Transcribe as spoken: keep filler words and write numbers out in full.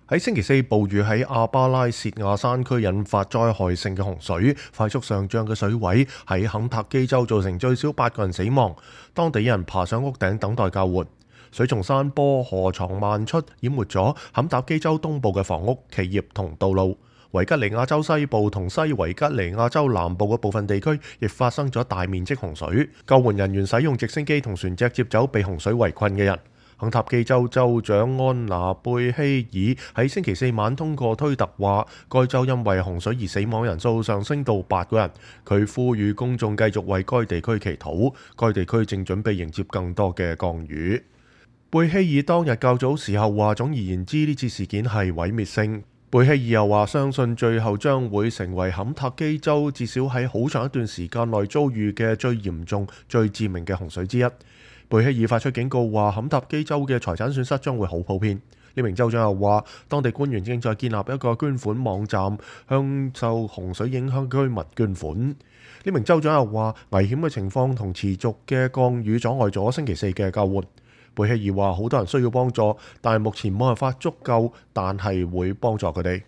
喺星期四，暴雨喺阿巴拉契亞山區引發災害性嘅洪水，快速上漲嘅水位喺肯塔基州造成最少八個人死亡，當地人爬上屋頂等待救援。水從山坡河床漫出，淹沒咗肯塔基州東部嘅房屋、企業同道路。維吉尼亞州西部同西維吉尼亞州南部嘅部分地區亦發生咗大面積洪水，救援人員使用直升機同船隻接走被洪水圍困嘅人。肯塔基州州長安娜貝希爾喺星期四晚通過推特話，該州因為洪水而死亡人數上升到八個人。佢呼籲公眾繼續為該地區祈禱，該地區正準備迎接更多嘅降雨。貝希爾當日較早時候話，總而言之呢次事件係毀滅性。貝希爾又話，相信最後將會成為肯塔基州至少喺好長一段時間內遭遇嘅最嚴重、最致命嘅洪水之一。貝希爾發出警告話，肯塔基州嘅財產損失將會好普遍。呢名州長又話，當地官員正在建立一個捐款網站，向受洪水影響居民捐款。呢名州長又話，危險嘅情況同持續嘅降雨阻礙咗星期四嘅救援。貝希爾話，好多人需要幫助，但係目前冇辦法足夠，但係會幫助佢哋。